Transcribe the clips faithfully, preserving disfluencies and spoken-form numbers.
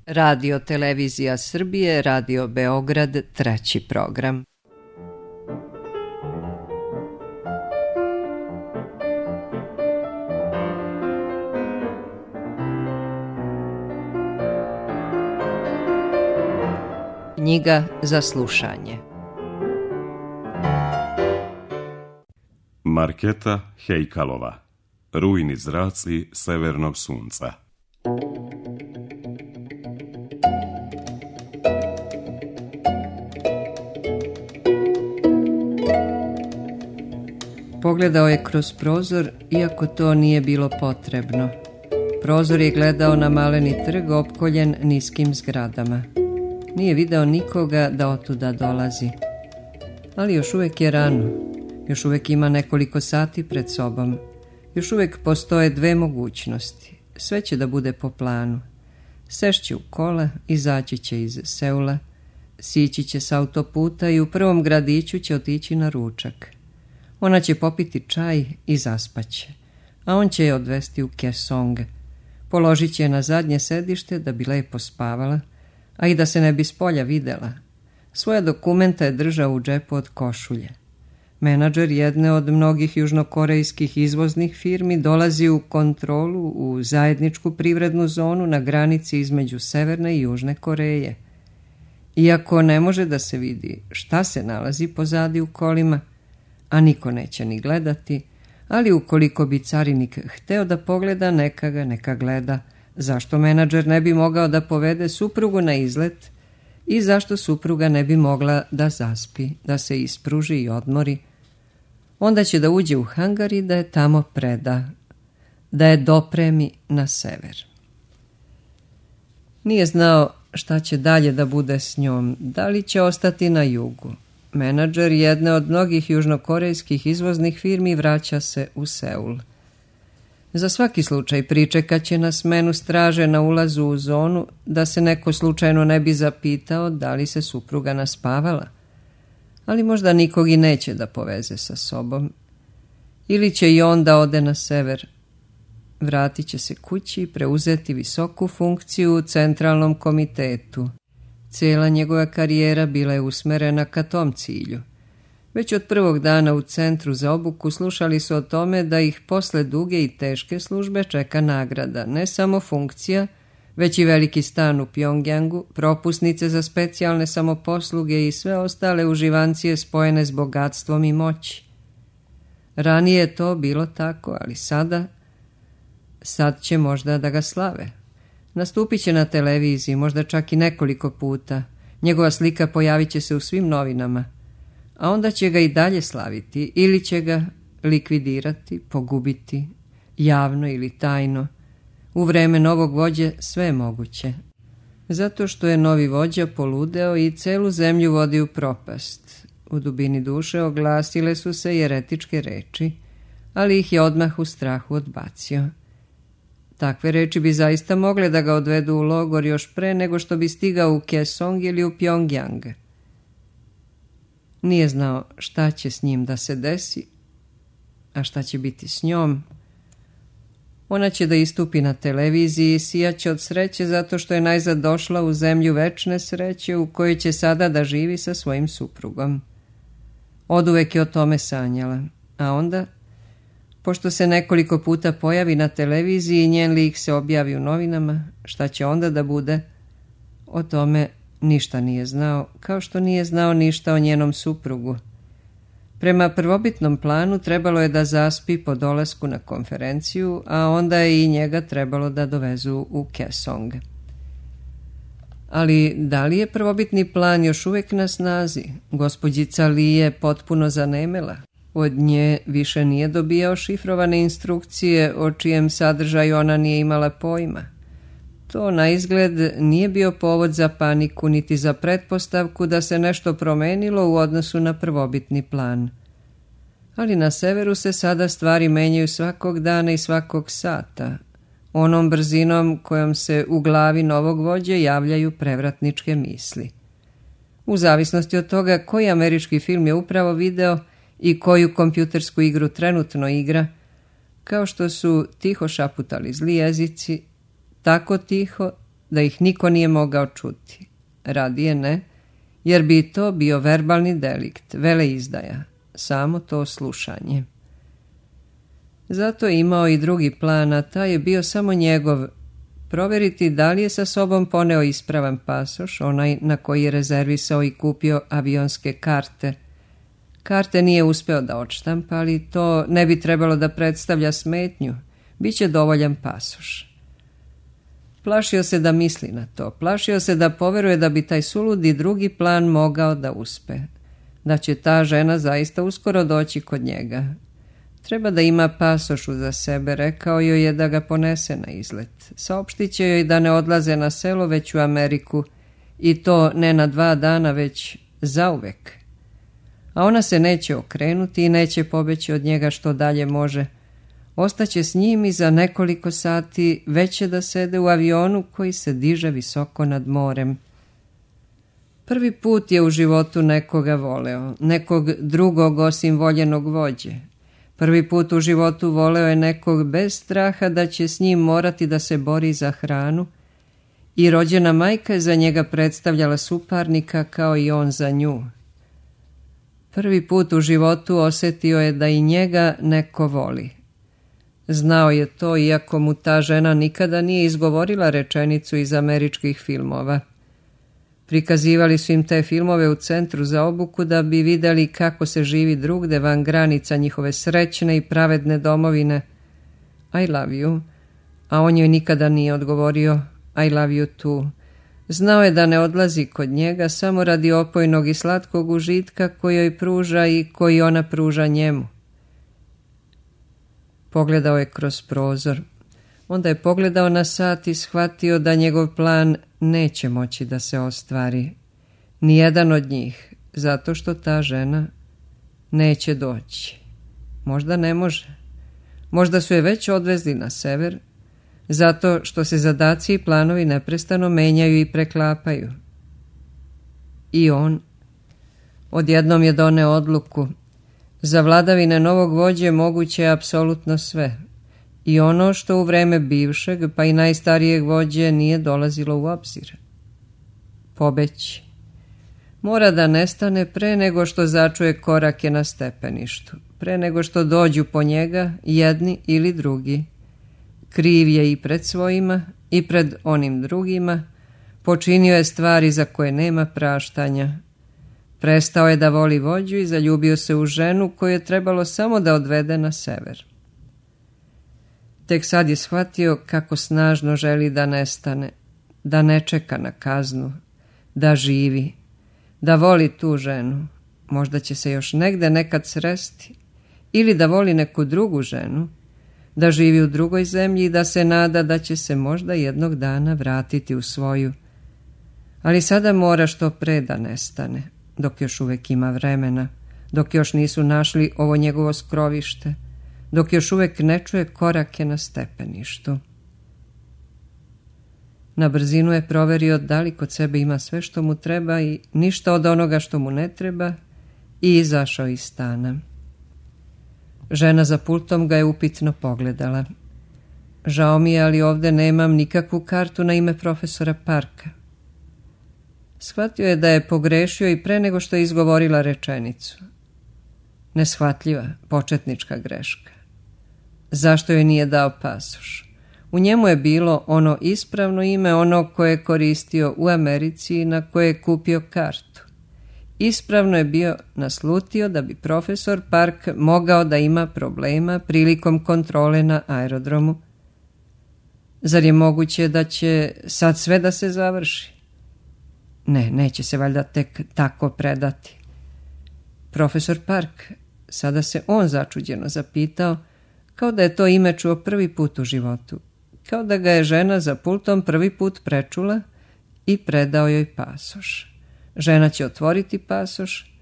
Radio Televizija Srbije, Radio Beograd, treći program. Knjiga za slušanje. Marketa Hejkalova. Rujni zraci severnog sunca. Pogledao je kroz prozor, iako to nije bilo potrebno. Prozor je gledao na maleni trg opkoljen niskim zgradama. Nije video nikoga da otuda dolazi. Ali još uvijek je rano. Još uvijek ima nekoliko sati pred sobom. Još uvijek postoje dve mogućnosti. Sve će da bude po planu. Sešće u kola, izaći će iz Seula, sići će s autoputa i u prvom gradiću će otići na ručak. Ona će popiti čaj i zaspaće, a on će je odvesti u Kaesong. Položit će je na zadnje sedište da bi lepo spavala, a i da se ne bi spolja videla. Svoje dokumenta je držao u džepu od košulje. Menadžer jedne od mnogih južnokorejskih izvoznih firmi dolazi u kontrolu u zajedničku privrednu zonu na granici između Severne i Južne Koreje. Iako ne može da se vidi šta se nalazi pozadi u kolima, a niko neće ni gledati, ali ukoliko bi carinik hteo da pogleda, neka ga neka gleda. Zašto menadžer ne bi mogao da povede suprugu na izlet i zašto supruga ne bi mogla da zaspi, da se ispruži i odmori? Onda će da uđe u hangar i da je tamo preda, da je dopremi na sever. Nije znao šta će dalje da bude s njom, da li će ostati na jugu. Menadžer jedne od mnogih južnokorejskih izvoznih firmi vraća se u Seul. Za svaki slučaj pričekat će na smenu straže na ulazu u zonu, da se neko slučajno ne bi zapitao da li se supruga naspavala. Ali možda nikog i neće da poveze sa sobom. Ili će i on da ode na sever. Vratit će se kući i preuzeti visoku funkciju u centralnom komitetu. Cijela njegova karijera bila je usmerena ka tom cilju. Već od prvog dana u centru za obuku slušali su o tome da ih posle duge i teške službe čeka nagrada, ne samo funkcija, već i veliki stan u Pjongjangu, propusnice za specijalne samoposluge i sve ostale uživancije spojene s bogatstvom i moći. Ranije je to bilo tako, ali sada, sad će možda da ga slave. Nastupit će na televiziji, možda čak i nekoliko puta. Njegova slika pojavit će se u svim novinama. A onda će ga i dalje slaviti ili će ga likvidirati, pogubiti, javno ili tajno. U vreme novog vođe sve je moguće. Zato što je novi vođa poludeo i celu zemlju vodi u propast. U dubini duše oglasile su se jeretičke reči, ali ih je odmah u strahu odbacio. Takve reči bi zaista mogle da ga odvedu u logor još pre nego što bi stigao u Kaesong ili u Pjongjang. Nije znao šta će s njim da se desi, a šta će biti s njom. Ona će da istupi na televiziji i sijaće od sreće zato što je najzad došla u zemlju večne sreće u kojoj će sada da živi sa svojim suprugom. Oduvek je o tome sanjala, a onda, pošto se nekoliko puta pojavi na televiziji i njen lik se objavi u novinama, šta će onda da bude? O tome ništa nije znao, kao što nije znao ništa o njenom suprugu. Prema prvobitnom planu trebalo je da zaspi po dolasku na konferenciju, a onda je i njega trebalo da dovezu u Kaesong. Ali da li je prvobitni plan još uvijek na snazi? Gospođica Li je potpuno zanemela. Od nje više nije dobijao šifrovane instrukcije o čijem sadržaju ona nije imala pojma. To na izgled nije bio povod za paniku niti za pretpostavku da se nešto promenilo u odnosu na prvobitni plan. Ali na severu se sada stvari menjaju svakog dana i svakog sata, onom brzinom kojom se u glavi novog vođe javljaju prevratničke misli. U zavisnosti od toga koji američki film je upravo video i koju kompjutersku igru trenutno igra, kao što su tiho šaputali zli jezici, tako tiho da ih niko nije mogao čuti. Radije ne, jer bi to bio verbalni delikt, veleizdaja, samo to slušanje. Zato je imao i drugi plan, a taj je bio samo njegov, proveriti da li je sa sobom poneo ispravan pasoš, onaj na koji je rezervisao i kupio avionske karte. Karte nije uspeo da odštampa, ali to ne bi trebalo da predstavlja smetnju, biće dovoljan pasoš. Plašio se da misli na to, plašio se da poveruje da bi taj suludi drugi plan mogao da uspe, da će ta žena zaista uskoro doći kod njega. Treba da ima pasoš uza sebe, rekao joj je da ga ponese na izlet. Saopštit će joj da ne odlaze na selo, već u Ameriku, i to ne na dva dana, već zauvek. A ona se neće okrenuti i neće pobeći od njega što dalje može. Ostaće s njim i za nekoliko sati već će da sede u avionu koji se diže visoko nad morem. Prvi put je u životu nekoga voleo, nekog drugog osim voljenog vođe. Prvi put u životu voleo je nekog bez straha da će s njim morati da se bori za hranu i rođena majka je za njega predstavljala suparnika kao i on za nju. Prvi put u životu osjetio je da i njega neko voli. Znao je to, iako mu ta žena nikada nije izgovorila rečenicu iz američkih filmova. Prikazivali su im te filmove u centru za obuku da bi vidjeli kako se živi drugde van granica njihove srećne i pravedne domovine. I love you, a on joj nikada nije odgovorio I love you too. Znao je da ne odlazi kod njega samo radi opojnog i slatkog užitka koji joj pruža i koji ona pruža njemu. Pogledao je kroz prozor. Onda je pogledao na sat i shvatio da njegov plan neće moći da se ostvari. Nijedan od njih, zato što ta žena neće doći. Možda ne može. Možda su je već odvezli na sever, zato što se zadaci i planovi neprestano menjaju i preklapaju. I on odjednom je doneo odluku. Za vladavine novog vođe moguće je apsolutno sve. I ono što u vreme bivšeg, pa i najstarijeg vođe nije dolazilo u obzir. Pobeći. Mora da nestane pre nego što začuje korake na stepeništu, pre nego što dođu po njega jedni ili drugi. Kriv je i pred svojima i pred onim drugima, počinio je stvari za koje nema praštanja. Prestao je da voli vođu i zaljubio se u ženu koju je trebalo samo da odvede na sever. Tek sad je shvatio kako snažno želi da nestane, da ne čeka na kaznu, da živi, da voli tu ženu. Možda će se još negde nekad sresti, ili da voli neku drugu ženu, da živi u drugoj zemlji i da se nada da će se možda jednog dana vratiti u svoju. Ali sada mora što pre da nestane, dok još uvek ima vremena, dok još nisu našli ovo njegovo skrovište, dok još uvek ne čuje korake na stepeništu. Na brzinu je proverio da li kod sebe ima sve što mu treba i ništa od onoga što mu ne treba i izašao iz stana. Žena za pultom ga je upitno pogledala. Žao mi je, ali ovde nemam nikakvu kartu na ime profesora Parka. Shvatio je da je pogrešio i pre nego što je izgovorila rečenicu. Neshvatljiva, početnička greška. Zašto joj nije dao pasoš? U njemu je bilo ono ispravno ime, ono koje je koristio u Americi i na koje je kupio kartu. Ispravno je bio naslutio da bi profesor Park mogao da ima problema prilikom kontrole na aerodromu. Zar je moguće da će sad sve da se završi? Ne, neće se valjda tek tako predati. Profesor Park, sada se on začuđeno zapitao, kao da je to ime čuo prvi put u životu, kao da ga je žena za pultom prvi put prečula i predao joj pasoš. Žena će otvoriti pasoš,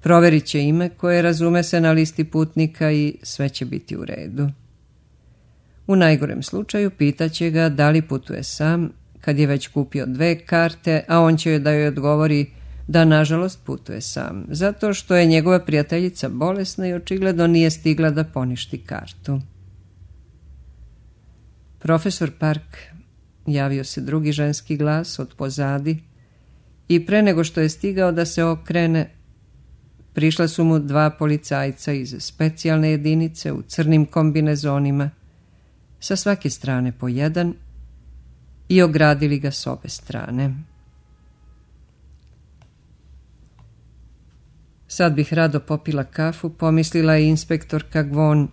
proverit će ime koje razume se na listi putnika i sve će biti u redu. U najgorem slučaju pitaće ga da li putuje sam, kad je već kupio dve karte, a on će joj da joj odgovori da nažalost putuje sam, zato što je njegova prijateljica bolesna i očigledno nije stigla da poništi kartu. Profesor Park Javio se drugi ženski glas od pozadi i pre nego što je stigao da se okrene, prišla su mu dva policajca iz specijalne jedinice u crnim kombinezonima, sa svake strane po jedan, i ogradili ga s obe strane. Sad bih rado popila kafu, pomislila je inspektorka Gvon.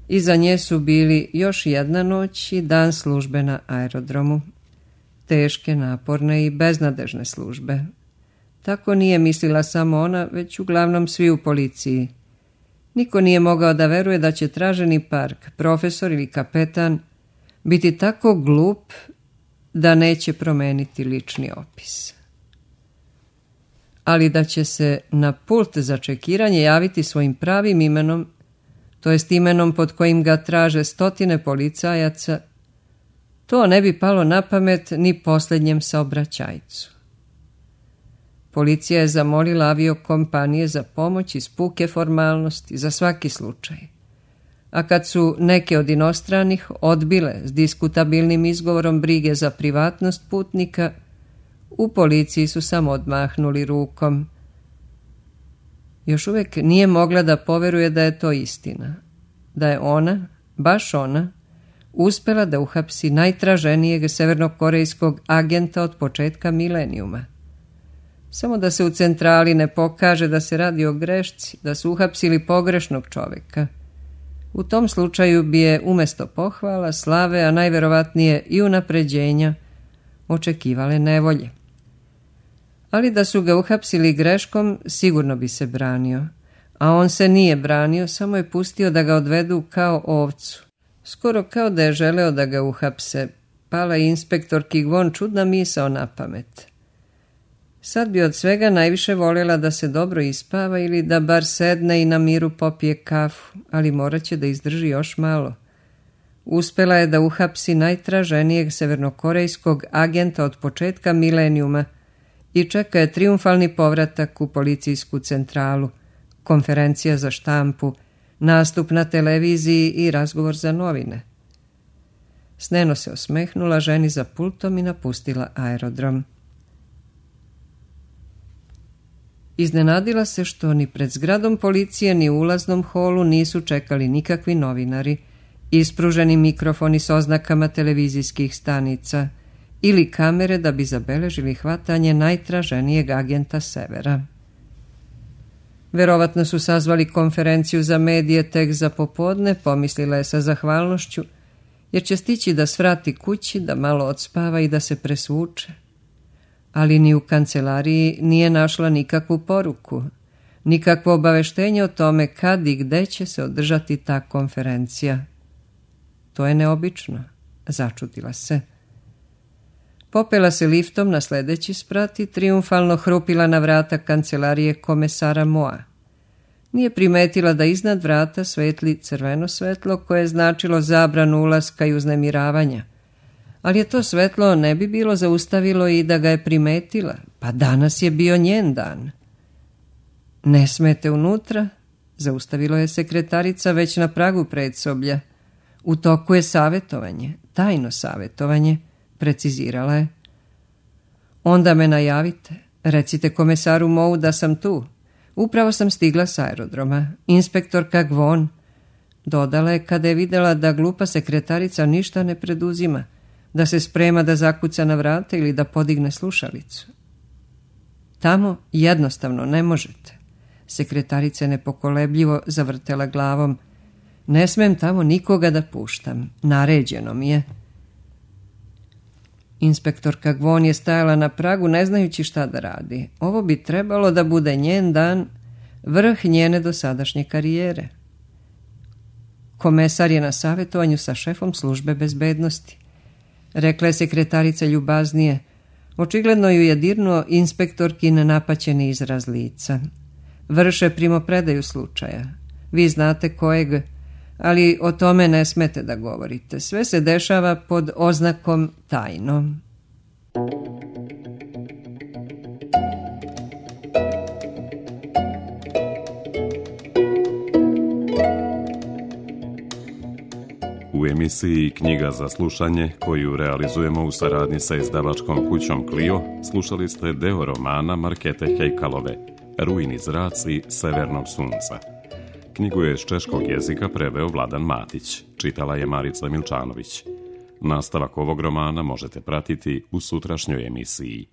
Iza nje su bili još jedna noć i dan službe na aerodromu. Teške, naporne i beznadežne službe. Tako nije mislila samo ona, već uglavnom svi u policiji. Niko nije mogao da veruje da će traženi Park, profesor ili kapetan, biti tako glup da neće promeniti lični opis. Ali da će se na pult za čekiranje javiti svojim pravim imenom, to jest imenom pod kojim ga traže stotine policajaca, to ne bi palo na pamet ni posljednjem saobraćajcu. Policija je zamolila aviokompanije za pomoć iz puke formalnosti za svaki slučaj. A kad su neke od inostranih odbile s diskutabilnim izgovorom brige za privatnost putnika, u policiji su samo odmahnuli rukom. Još uvijek nije mogla da poveruje da je to istina. Da je ona, baš ona, uspela da uhapsi najtraženijeg severnokorejskog agenta od početka milenijuma. Samo da se u centrali ne pokaže da se radi o grešci, da su uhapsili pogrešnog čoveka. U tom slučaju bi je umjesto pohvala, slave, a najverovatnije i unapređenja, očekivale nevolje. Ali da su ga uhapsili greškom, sigurno bi se branio. A on se nije branio, samo je pustio da ga odvedu kao ovcu. Skoro kao da je želeo da ga uhapse. Pala je inspektorki Gvon čudna misao na pamet. Sad bi od svega najviše voljela da se dobro ispava ili da bar sedne i na miru popije kafu, ali morat će da izdrži još malo. Uspela je da uhapsi najtraženijeg severnokorejskog agenta od početka milenijuma i čeka je triumfalni povratak u policijsku centralu, konferencija za štampu, nastup na televiziji i razgovor za novine. Sneno se osmehnula ženi za pultom i napustila aerodrom. Iznenadila se što ni pred zgradom policije ni u ulaznom holu nisu čekali nikakvi novinari, ispruženi mikrofoni s oznakama televizijskih stanica ili kamere da bi zabeležili hvatanje najtraženijeg agenta Severa. Verovatno su sazvali konferenciju za medije tek za popodne, pomislila je sa zahvalnošću, jer će stići da svrati kući, da malo odspava i da se presvuče. Ali ni u kancelariji nije našla nikakvu poruku, nikakvo obaveštenje o tome kad i gde će se održati ta konferencija. To je neobično, začudila se. Popela se liftom na sledeći sprat i triumfalno hrupila na vrata kancelarije komesara Moa. Nije primetila da iznad vrata svetli crveno svetlo koje je značilo zabranu ulaska i uznemiravanja. Ali je to svetlo ne bi bilo zaustavilo i da ga je primetila, pa danas je bio njen dan. Ne smete unutra, zaustavilo je sekretarica već na pragu predsoblja. U toku je savjetovanje, tajno savjetovanje, precizirala je. Onda me najavite, recite komesaru Mou da sam tu. Upravo sam stigla s aerodroma, inspektorka Gvon. Dodala je kada je vidjela da glupa sekretarica ništa ne preduzima, da se sprema da zakuca na vrata ili da podigne slušalicu. Tamo jednostavno ne možete. Sekretarica je nepokolebljivo zavrtela glavom. Ne smem tamo nikoga da puštam, naređeno mi je. Inspektorka Gvon je stajala na pragu ne znajući šta da radi. Ovo bi trebalo da bude njen dan, vrh njene dosadašnje karijere. Komesar je na savjetovanju sa šefom službe bezbednosti. Rekla je sekretarica ljubaznije. Očigledno ju je dirnuo inspektorkin napaćeni izraz lica. Vrše primopredaju slučaja. Vi znate kojeg, ali o tome ne smete da govorite. Sve se dešava pod oznakom tajno. U emisiji Knjiga za slušanje, koju realizujemo u saradnji sa izdavačkom kućom Clio, slušali ste deo romana Markete Hejkalove, Rujni zraci severnog sunca. Knjigu je iz češkog jezika preveo Vladan Matić, čitala je Marica Milčanović. Nastavak ovog romana možete pratiti u sutrašnjoj emisiji.